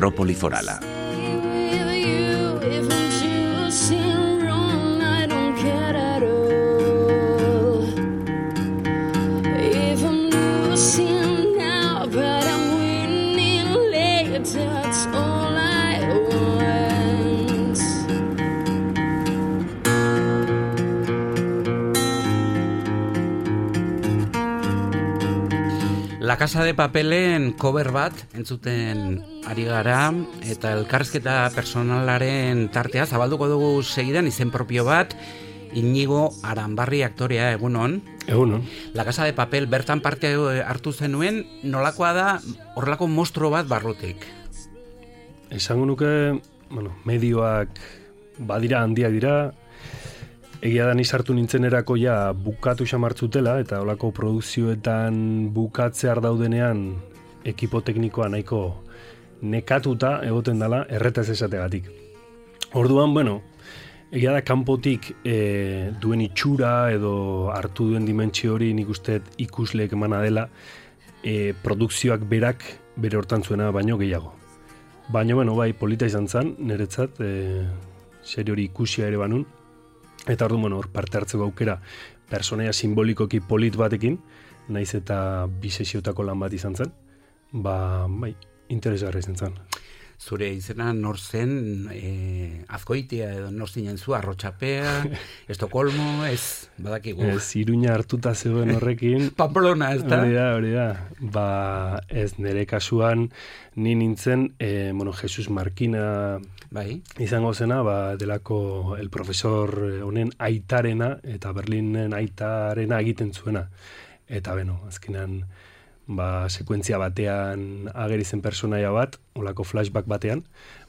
Metrópoli Forala. La Casa de Papelen cover bat entzuten ari gara eta elkarrizketa personalaren tartea zabalduko dugu segidan izen propio bat. Iñigo Aranbarri aktorea, egunon. Egunon. La Casa de Papel bertan parte hartu zenuen, nolakoa da horrelako monstruo bat barrutik? Esango nuke, medioak badira handiak dira, egia da ni sartu nintzenerako ja bukatu xamartzutela, eta holako produkzioetan bukatzear daudenean ekipo teknikoa nahiko nekatuta egoten dela erretaz esategatik. Orduan, egia da kanpotik duen itxura edo hartu duen dimentsio hori nik uste ikusleek emana dela produkzioak berak bere hortan zuena baino gehiago. Baina, bai, polita izan zen, niretzat, serio hori ikusia ere banun, eta orduan, hor parte hartzeko aukera personaia simbolikoki polit batekin, naiz eta biseziotako lan bat izan zen, bai, interesgarri izan zen. Zure izena nor zen, Azkoitia edo nor zinen zu, Arrotxapea, Estokolmo, ez, badakigu. Ez, Iruña hartuta zegoen horrekin. Pamplona, ez da? Hori da. Ez, nire kasuan, ni nintzen, Jesus Markina izango zena, delako el profesor honen aitarena, eta Berlinen aitarena egiten zuena. Eta, azkenean, sekuentzia batean ageri zen personaia bat, olako flashback batean,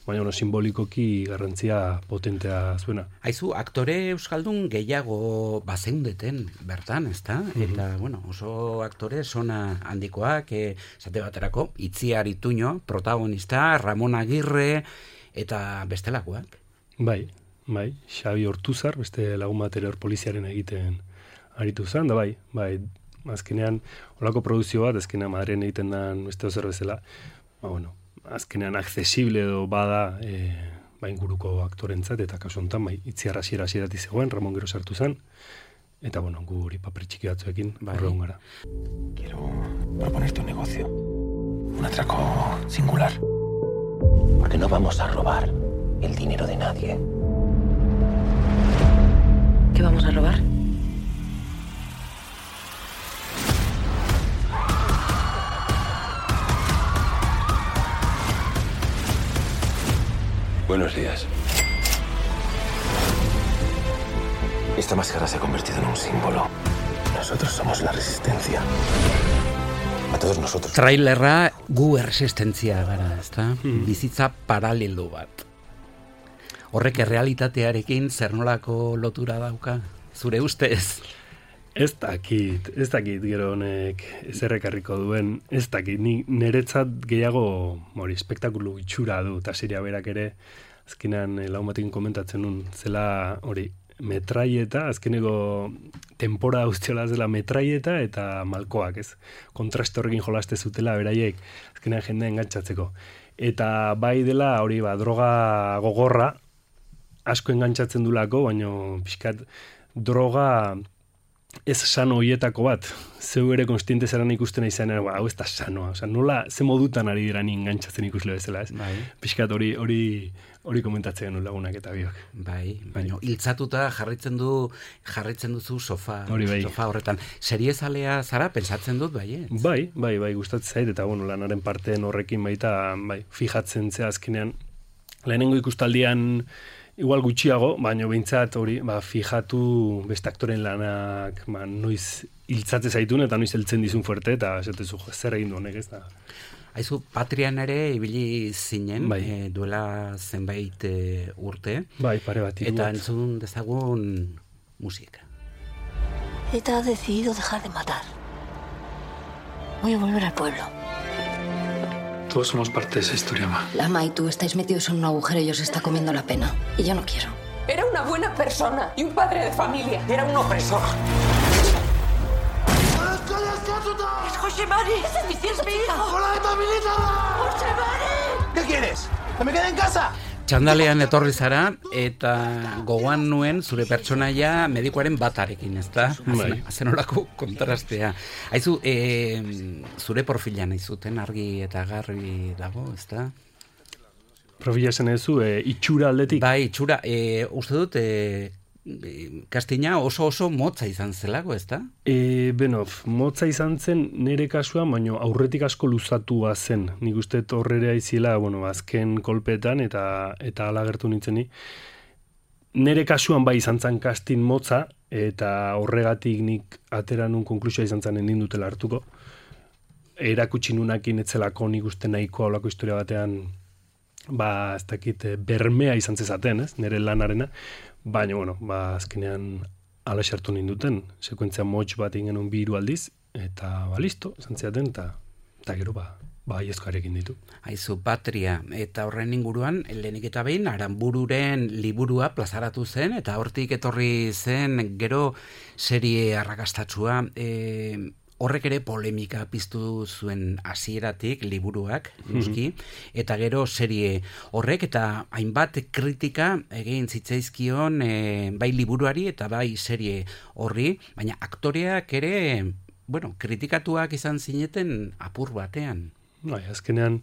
baina simbolikoki garrantzia potentea zuena. Aizu, aktore euskaldun gehiago bazeundeten bertan, ezta? Eta, oso aktore sona handikoak, esate baterako, Itziar Ituño, protagonista, Ramon Agirre, eta bestelakoak. Bai, Xabi Ortuzar, beste lagun bat ere poliziaren egiten aritu zen, da bai, azkenean, olako produzio bat, azkenean Madren egiten den beste ozer bezala, azkenean accesible edo bada inguruko aktorentzat, eta kasu honetan, Itziar hasieratik zegoen, Ramon gero sartu zen, eta guri paper txiki batzuekin horregun gara. Quiero proponerte un negocio, un atraco singular, porque no vamos a robar el dinero de nadie. ¿Qué vamos a robar? Buenos días. Esta máscara se ha convertido en un símbolo. Nosotros somos la resistencia. A todos nosotros. Trailerra gu erresistentzia gara, ezta? Bizitza paralelo bat. Horrek errealitatearekin zer nolako lotura dauka? Zure ustez? Ez dakit gero honek ezerrekarriko duen, ez dakit, niretzat gehiago espektakulu itxura du, eta seria berak ere, azkenean lagun batekin komentatzen nun, zela metraieta, azkeneko tempora guztiola zela metraieta eta malkoak, ez? Kontraste horrekin jolaste zutela, beraiek, azkenean jendea engantzatzeko. Eta bai dela, droga gogorra, asko engantzatzen dulako, baina pixkat droga ez sano hoietako bat, zeu ere konstiente zeran ikusten izan, hau ez da sanoa, nola, ze modutan ari dira ni engantzatzen ikusle bezala, ez? Piskat hori komentatzen genuen lagunak eta biok. Baina hiltzatuta jarritzen duzu sofa horretan. Seriezalea zara, pentsatzen dut, bai? Bai, gustatzen zait, eta lanaren parteen horrekin baita, fijatzen zea azkenean, lehenengo ikustaldian igual gutxiago, baina behintzat hori, fijatu beste aktoren lanak, noiz hiltzatze zaitun eta noiz heltzen dizun fuerte, eta esatezu, zer egin du honek, ez da. Aizu, Patrian ere ibili zinen, duela zenbait urte. Bai, pare bat. Eta entzun dezagun musika. ETA ha decidido dejar de matar. Voy a volver al pueblo. Todos somos parte de esa historia, ma. Lama y tú estáis metidos en un agujero y os está comiendo la pena. Y yo no quiero. Era una buena persona y un padre de familia. Era un opresor. ¡Es José Mari! ¡Es mi hijo! ¡Hola, Milita! ¡José Mari! ¿Qué quieres? ¿Que me quede en casa? Txandalean etorri zara, eta gogoan nuen zure pertsonaia medikuaren batarekin, ezta? Zenolako kontrastea. Haizu, zure profilan aizuten argi eta garbi dago, ezta? Profila esan ezu, itxura aldetik? Bai, itxura, uste dut, kastina oso motza izan zelako, ezta? Motza izan zen nire kasua, baina aurretik asko luzatua zen. Nik uste horrere aizila, azken kolpetan eta ala gertu nintzen ni. Nire kasuan bai izan zen kastin motza, eta horregatik nik atera nun konklusioa izan zen nindutela hartuko. Erakutsi nunakin etzelako nik uste nahikoa olako historia batean, ez dakit, bermea izan zezaten, ez, nire lanarena. Baina, azkenean ala sartu ninduten, sekuentzia motx bat ingenun 2 aldiz, eta listo, esan ziaten, eta gero aiezkoarekin ditu. Aizu, Patria, eta horren inguruan, lehenik eta behin, Aranbururen liburua plazaratu zen, eta hortik etorri zen gero serie arrakastatsua, horrek ere polemika piztu zuen hasieratik liburuak, noski, eta gero serie horrek eta hainbat kritika egin zitzaizkion bai liburuari eta bai serie horri, baina aktoreak ere, kritikatuak izan zineten apur batean. Azkenean,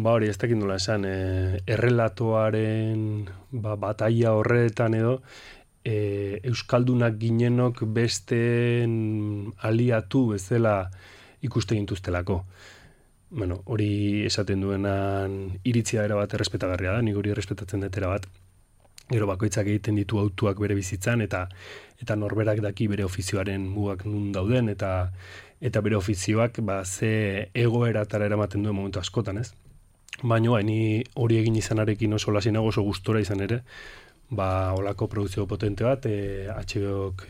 hori ez dakit nola esan, errelatoaren bataia horretan edo, euskaldunak ginenok besteen aliatu bezala ikuste gintuztelako. Hori esaten duenan iritzia erabat errespetagarria da, nik hori errespetatzen dut erabat. Gero bakoitzak egiten ditu autuak bere bizitzan, eta norberak daki bere ofizioaren mugak nun dauden, eta bere ofizioak ze egoeratara eramaten duen momentu askotan, ez? Baina, ni hori egin izanarekin oso lasinago, oso gustora izan ere, olako produkzio potente bat, HBO-k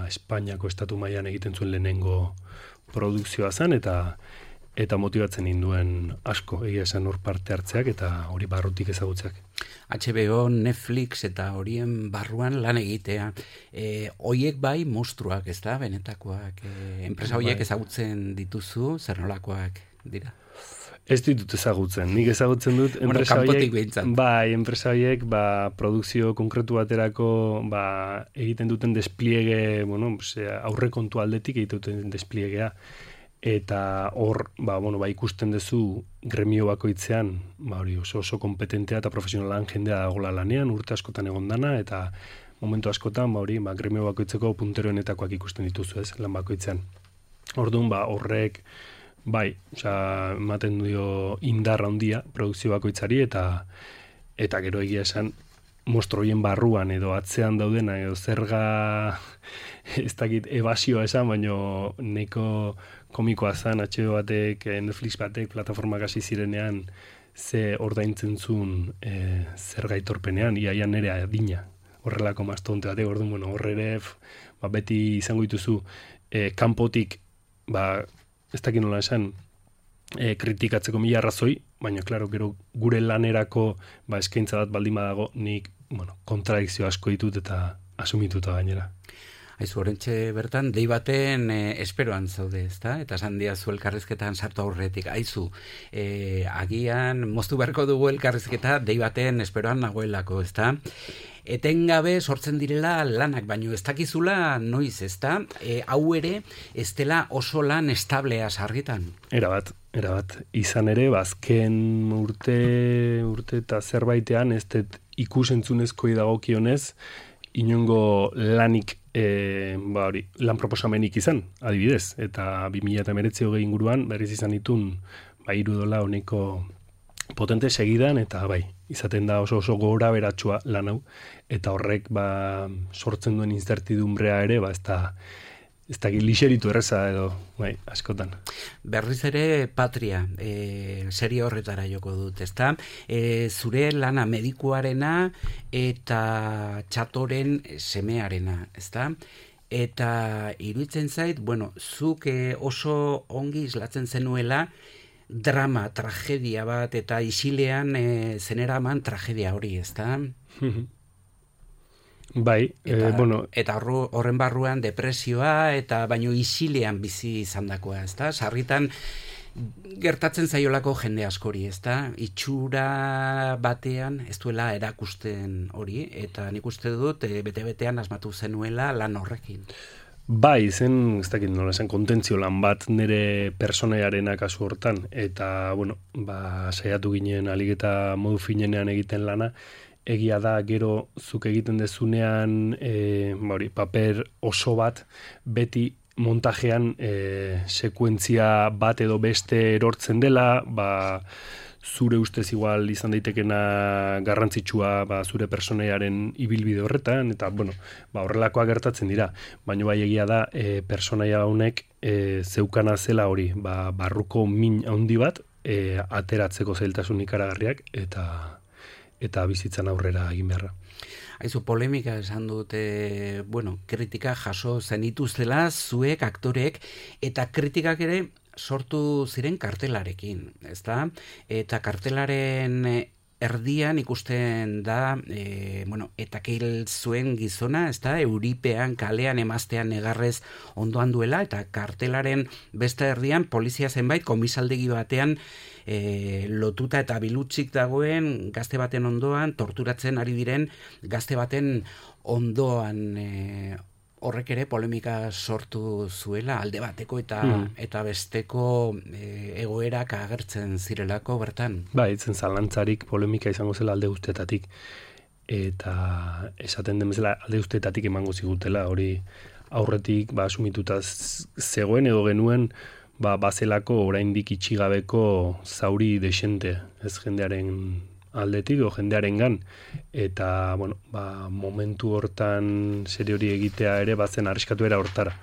Espainiako estatu mailan egiten zuen lehenengo produkzioa zen, eta motibatzen induen asko, egia esan hor parte hartzeak, eta hori barrutik ezagutzeak. HBO, Netflix eta horien barruan lan egitea. Hoiek bai monstruak, ez da, benetakoak. Enpresa horiek ezagutzen dituzu, zer nolakoak dira? Ez ditut ezagutzen. Nik ezagutzen dut enpresa horiek produkzio konkretu baterako egiten duten despliege, aurrekontu aldetik egiten duten despliegea, eta hor ikusten duzu gremio bakoitzean hori oso kompetentea eta profesionalan jendea dagoela lanean, urte askotan egondana, eta momentu askotan gremio bakoitzeko punteroenetakoak ikusten dituzu, ez, lan bakoitzean. Orduan horrek ematen dio indarra handia produkzio bakoitzari, eta gero egia esan mostroien barruan edo atzean daudena edo zerga ez dakit ebasioa esan, baino neko komikoa zen HBO batek, Netflix batek, plataformak hasi zirenean ze ordaintzen zuen zerga aitorpenean, iaian nere adina horrelako mastonte batek, orduan horre beti izango dituzu kanpotik ez dakit nola esan, kritikatzeko 1000 arrazoi, baina, klaro, gero gure lanerako eskaintza bat baldin badago, nik, kontradikzio asko ditut eta asumituta gainera. Aizu, orentxe bertan, dei baten esperoan zaude, ezta? Eta esan diazu elkarrizketan sartu aurretik. Aizu, agian moztu beharko dugu elkarrizketa dei baten esperoan nagoelako, ezta? Etengabe sortzen direla lanak, baino ez dakizula noiz, ezta? Hau ere, ez dela oso lan establea sarritan. Erabat. Izan ere, azken urte eta zerbaitean, ez dut ikusentzunezkoi dagokionez, inongo lanik lan proposamenik izan, adibidez, eta 2019 inguruan berriz izan ditun $3 honeko potente segidan, eta izaten da oso gora beratsua lan hau, eta horrek sortzen duen incertidumbrea ere, ez da lixeritu erreza edo, askotan. Berriz ere Patria, serie horretara joko dut, ezta? Zure lana medikuarena eta txatoren semearena, ezta? Eta iruditzen zait, zuk oso ongi islatzen zenuela drama, tragedia bat, eta isilean zeneraman tragedia hori, ezta? Eta horren barruan depresioa, eta baino isilean bizi izandakoa, ezta? Sarritan gertatzen zaiolako jende askori, ezta? Itxura batean ez duela erakusten hori, eta nik uste dut bete-betean asmatu zenuela lan horrekin. Bai, zen, ez dakit nola esan, kontentzio lan bat nire personaiarena kasu hortan, eta, bueno, saiatu ginen alik eta modu finenean egiten lana, egia da gero zuk egiten dezunean paper oso bat beti montajean sekuentzia bat edo beste erortzen dela, zure ustez igual izan daitekena garrantzitsua zure personaiaren ibilbide horretan, eta horrelakoak gertatzen dira, baina bai egia da personaia honek zeukana zela hori, barruko min handi bat ateratzeko zailtasun ikaragarriak eta bizitzan aurrera egin beharra. Aizu, polemika esan dute, kritika jaso zenituztela zuek aktorek, eta kritikak ere sortu ziren kartelarekin, ezta? Eta kartelaren erdian ikusten da, eta keil zuen gizona, ezta? Euripean, kalean, emaztean negarrez ondoan duela, eta kartelaren beste erdian polizia zenbait komisaldegi batean lotuta eta bilutsik dagoen gazte baten ondoan, torturatzen ari diren gazte baten ondoan, horrek ere polemika sortu zuela alde bateko eta besteko egoerak agertzen zirelako bertan. Itzen zalantzarik polemika izango zela alde guztietatik, eta esaten den bezala alde guztietatik emango zigutela, hori aurretik asumituta zegoen edo genuen bazelako oraindik itxigabeko zauri desente, ez jendearen aldetik o jendearengan, eta momentu hortan serie hori egitea ere bazen arriskatu era hortara.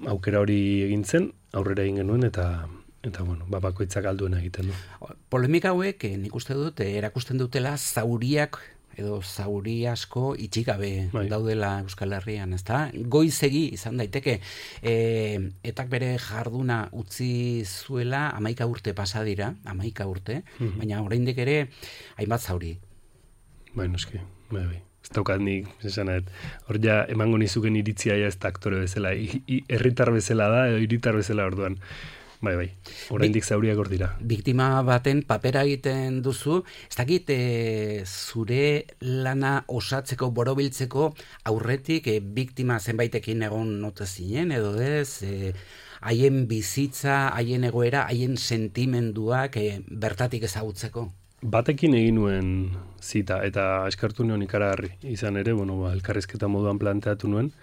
Aukera hori egin zen, aurrera egin genuen, eta bakoitzak alduena egiten du. Polemika hauek nik uste dut erakusten dutela zauriak edo zauri asko itxigabe daudela Euskal Herrian, ezta? Goizegi izan daiteke, etak bere jarduna utzi zuela 11 urte pasa dira, 11 urte, baina oraindik ere hainbat zauri. Noski, ez daukat nik, hor ja emango nizuken iritzia ez da aktore bezala, herritar bezala da edo hiritar bezala orduan. Bai, oraindik zauriak hor dira. Biktima baten papera egiten duzu, ez dakit zure lana osatzeko, borobiltzeko aurretik biktima zenbaitekin egon note zinen, edo ez, haien bizitza, haien egoera, haien sentimenduak bertatik ezagutzeko? Batekin egin nuen zita, eta eskartu nuen ikaragarri. Izan ere, elkarrizketa moduan planteatu nuen,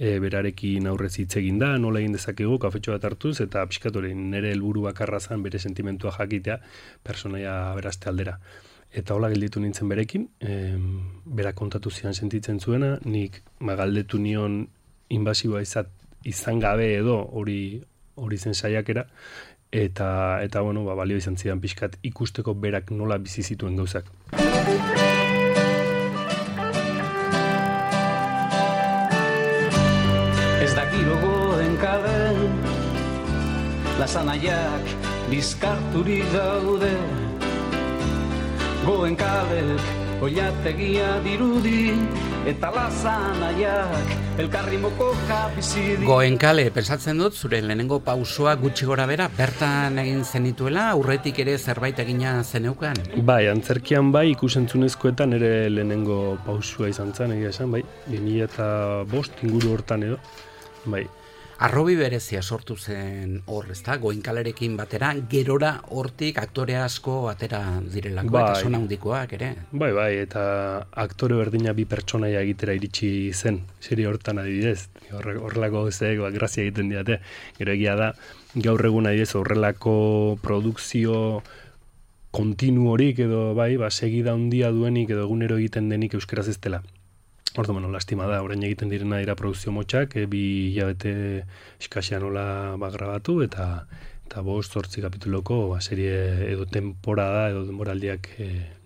berarekin aurrez hitz egin da, nola egin dezakegu, kafetxo bat hartuz, eta pixkatorein nire helburu bakarra zan bere sentimentua jakitea, personaia berazte aldera. Eta hola gelditu nintzen berekin, bera kontatu zian sentitzen zuena, nik galdetu nion inbasiboa izan gabe edo hori zen saiakera, eta balio izan zidan pixkat ikusteko berak nola bizi zituen gauzak. Ez dakiro Goenkale, lasanaiak bizkarturik daude. Goenkalek oilategia dirudi, eta lasanaiak elkarri mokoka bizi di. Goenkale, pensatzen dut, zure lehenengo pausoa gutxi gora bera, bertan egin zenituela, aurretik ere zerbait egina zeneukan? Bai, antzerkian ikusentzunezkoetan ere lehenengo pausua izan zen, egia esan, 2005 inguru hortan edo. Bai. Arrobi berezia sortu zen hor, ezta? Goenkalerekin batera, gerora hortik aktore asko atera direlako, eta sona handikoak ere. Bai, eta aktore berdina bi pertsonaia egitera iritsi zen, serie hortan adibidez. Horrelako gauzek grazia egiten diate. Gero egia da, gaur egun adibidez horrelako produkzio kontinu horik edo segida handia duenik edo egunero egiten denik euskaraz ez dela. Ordu, lastima da, orain egiten direna dira produzio motxak, 2 hilabete eskasean hola grabatu, eta 5-8 kapituloko serie edo temporada edo denboraldiak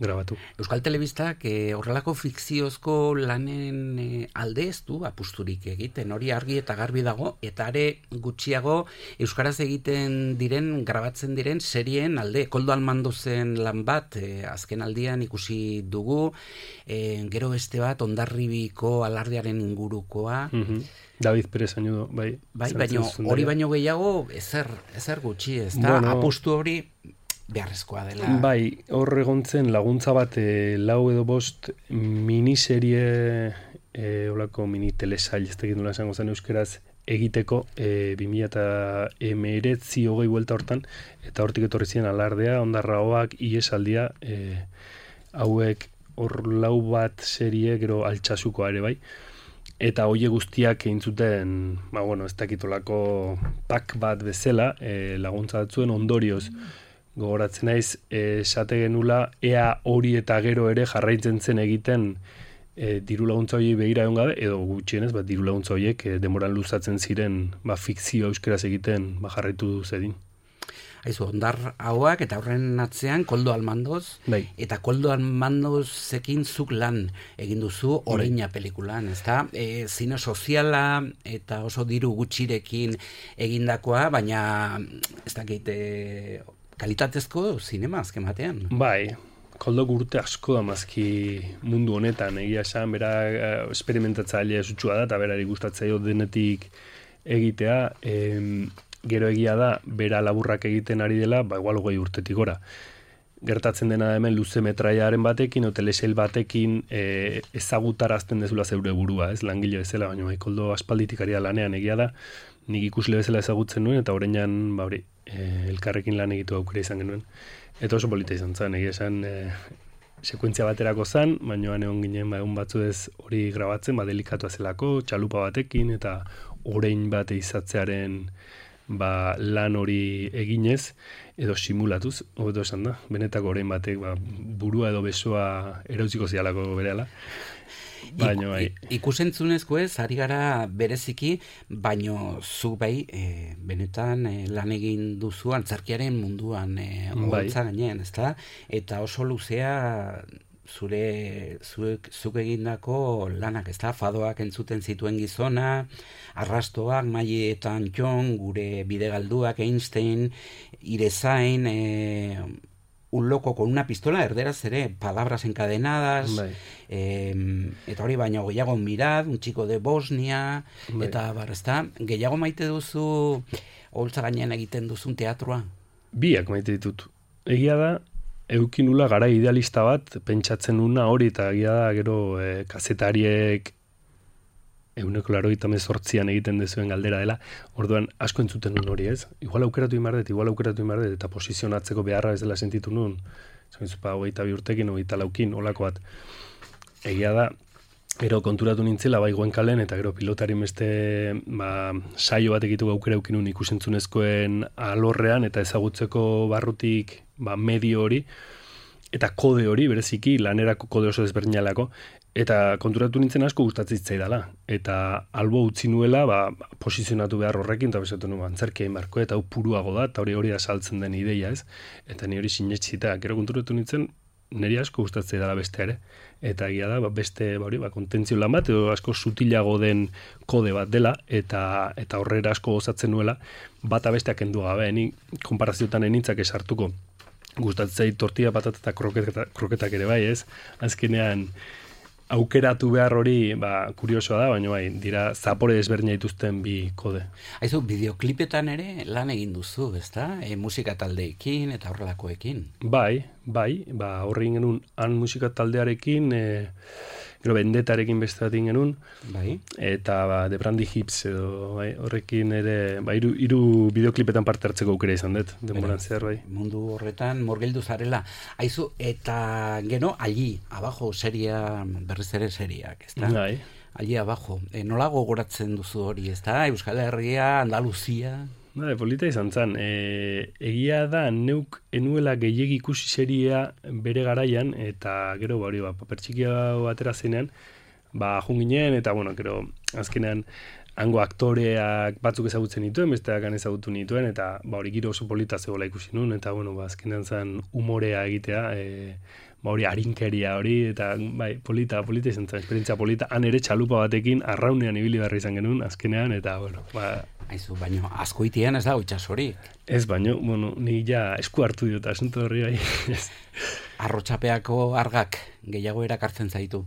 grabatu. Euskal Telebistak horrelako fikziozko lanen alde ez du apusturik egiten, hori argi eta garbi dago, eta are gutxiago euskaraz egiten diren, grabatzen diren serien alde. Koldo Almandozen lan bat, azken aldian ikusi dugu, gero beste bat Hondarribiko alardearen ingurukoa, David Pérez Añudo, bai. Bai, baina hori baino gehiago ezer gutxi, ez da? Bueno, apustu hori beharrezkoa dela. Bai, hor egontzen laguntza bat 4 edo 5 miniserie, olako mini telesail, ez dakit nola esango zen euskeraz, egiteko 2019 buelta hortan, eta hortik etorri ziren Alardea, Ondarraoak, Iesaldia, hauek hor 4 bat serie, gero Altsasukoa ere bai, eta hoie guztiak egin zuten, ez dakitolako pak bat bezala, laguntza batzuen ondorioz. Gogoratzen naiz, esate genula, ea hori eta gero ere jarraitzen zen egiten diru laguntza horiek begira egon gabe, edo gutxienez, diru laguntza horiek denboran luzatzen ziren fikzio euskeraz egiten jarraitu zedin. Aizu, Ondar hauak eta horren atzean Koldo Almandoz, bai. Eta Koldo Almandozekin zuk lan egin duzu Oreina pelikulan, ezta? Zine soziala eta oso diru gutxirekin egindakoa, baina ez dakit kalitatezko zinema azken batean. Bai, Koldo urte asko da mazki mundu honetan, egia esan, bera esperimentatzailea zutsua da, eta berari gustatzaio denetik egitea, gero egia da, bera laburrak egiten ari dela, igual 20 urtetik gora. Gertatzen dena hemen luze metraiaren batekin, o telesail batekin ezagutarazten dezula zeure burua, ez langile bezala, baina Koldo aspalditik ari da lanean egia da, nik ikusle bezala ezagutzen nuen, eta horreinan, elkarrekin lan egitu aukera izan genuen. Eta oso polita izan zen, egia esan sekuentzia baterako zen, baina egon ginen egun batzu ez hori grabatzen, delikatu zelako, txalupa batekin, eta orein bat izatzearen lan hori eginez, edo simulatuz, hobeto esan da, benetako orein batek burua edo besoa erauziko zialako berehala. Baina bai. Ikusentzunezko ez, ari gara bereziki, baino zu bai, benetan lan egin duzu antzerkiaren munduan holtza gainean, ezta? Eta oso luzea zuk egindako lanak, ezta? Fadoak entzuten zituen gizona, Arrastoak, Maile eta Antxon, gure bidegalduak, Einstein, Irezain, un loco con una pistola, erderaz ere, palabras encadenadas, eta hori baina gehiago Mirad, un chico de Bosnia, eta ezta, gehiago maite duzu holtza gainean egiten duzun teatroa? Biak maite ditut. Egia da, eukinula gara idealista bat, pentsatzen nuna hori, eta egia da, gero kazetariek 188an egiten dezuen galdera dela, orduan asko entzuten nun hori, ez? Igual aukeratu imardet, eta posizionatzeko beharra ez dela sentitu nun. Zainzupa, 22 urtekin, 24kin, olako bat. Egia da, gero konturatu nintzela, Goenkalen, eta gero pilotari beste saio bat egitu aukera eukinun ikusentzunezkoen alorrean, eta ezagutzeko barrutik medio hori, eta kode hori, bereziki, lanerako kode oso desberdinalako, eta konturatu nintzen asko gustatzen zitzaidala. Eta albo utzi nuela, posizionatu behar horrekin, eta bezatu nuen antzerkia inbarko, eta hau puruago da, eta hori da saltzen den ideia, ez? Eta ni hori sinetxita, gero konturatu nintzen, niri asko gustatzen dela beste ere. Eta egia da, beste kontentzio lan bat, edo asko sutilago den kode bat dela, eta horrera asko gozatzen nuela, bata besteak kendu gabe, ni konparaziotan enintzak esartuko. Gustatzen zait tortilla, patata eta kroketak ere bai, ez? Azkenean, aukeratu behar hori, kuriosoa da, baina dira zapore desberdina dituzten bi kode. Aizu, bideoklipetan ere lan egin duzu, ezta? Musika taldeekin eta horrelakoekin. Bai, horri genuen han musika taldearekin, gero Bendetarekin beste bat genuen, eta The Brandy Hips edo horrekin ere, hiru bideoklipetan parte hartzeko aukera izan dut, denboran zehar, bai. Mundu horretan morgeldu zarela. Aizu, eta gero, allí, abajo, berriz ere seriak, ezta? Bai. Allí abajo. Nola gogoratzen duzu hori, ezta? Euskal Herria, Andaluzia... Polita izan zen. Egia da, neuk enuela gehiegi ikusi seria bere garaian, eta gero, paper txikia batera zenean, junginen, eta, gero, azkenean, hango aktoreak batzuk ezagutzen dituen, besteak ezagutu nituen, eta hori giro oso polita zegoela ikusi nun, eta, azkenean zen humorea egitea, hori harinkeria hori, eta polita izan zen, esperientzia polita, han ere txalupa batekin, arraunean ibili barri izan genuen, azkenean, eta, Aizu, baino, askoitian ez da itxasorik. Ez, baino, ni ja esku hartu diota, asunto horri bai. Arrotxapeako argak gehiago erakartzen zaitu?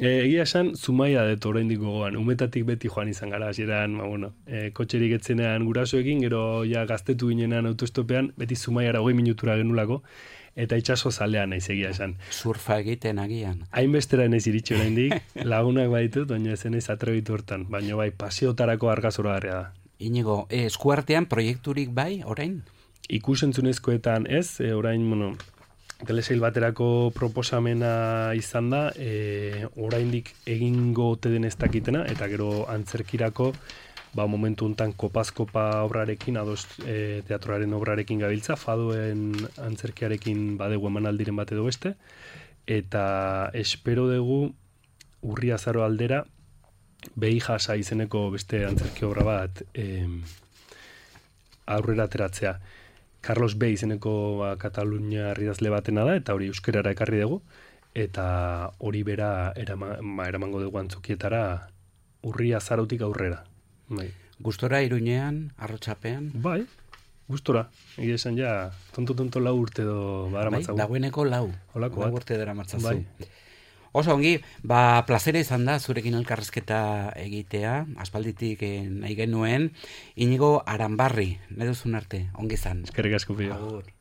Egia esan, Zumaia dut oraindik gogoan, umetatik beti joan izan gara, hasieran, kotxerik etzenean gurasoekin, gero ja gaztetu ginenan autostopean, beti Zumaiara 20 minutura genulako, eta itxaso zalean naiz egia esan. Surfa egiten agian. Hainbestera naiz iritsi oraindik, lagunak baitut, baina ez naiz atrebitu hortan, baina bai, paseotarako argazoragarria da. Inigo, eskuartean proiekturik bai, orain? Ikusentzunezkoetan ez, orain, telesail baterako proposamena izan da, oraindik egingo ote den ez dakitena, eta gero antzerkirako, momentu hontan kopaz-kopa obrarekin, ados teatroaren obrarekin gabiltza, fadoen antzerkiarekin badegu emanaldiren bat edo beste, eta espero dugu urri azaro aldera, behi jasa izeneko beste antzerki obra bat aurrera ateratzea. Carlos B. izeneko Katalunia idazle batena da, eta hori euskerara ekarri dugu, eta hori bera eramango dugu antzokietara urri azarotik aurrera. Bai. Gustora Iruñean, Arrotxapean? Bai, gustora. Egia esan ja, tonto lau urte do dara matzagu. Bai, dagoeneko lau. Olako lau urte dara matzazu. Bai. Oso ongi, plazera izan da zurekin elkarrezketa egitea, aspalditik nahi genuen, Inigo Aranbarri, nahi duzun arte, ongi izan. Eskerrik asko pio.